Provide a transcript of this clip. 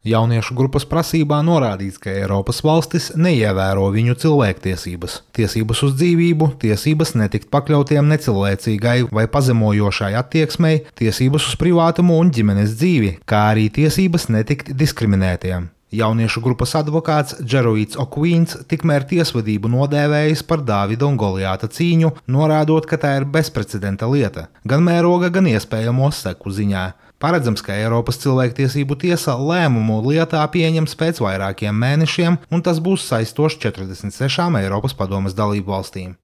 Jauniešu grupas prasībā norādīts, ka Eiropas valstis neievēro viņu cilvēktiesības, tiesības uz dzīvību, tiesības netikt pakļautiem necilvēcīgai vai pazemojošai attieksmei, tiesības uz privātumu un ģimenes dzīvi, kā arī tiesības netikt diskriminētiem. Jauniešu grupas advokāts Džeroīds Okvīns tikmēr tiesvedību nodēvējis par Dāvida un Golijāta cīņu, norādot, ka tā ir bezprecedenta lieta, gan mēroga, gan iespējamo seku ziņā. Paredzams, ka Eiropas cilvēktiesību tiesa lēmumu lietā pieņems pēc vairākiem mēnešiem, un tas būs saistošs 46 Eiropas padomes dalību valstīm.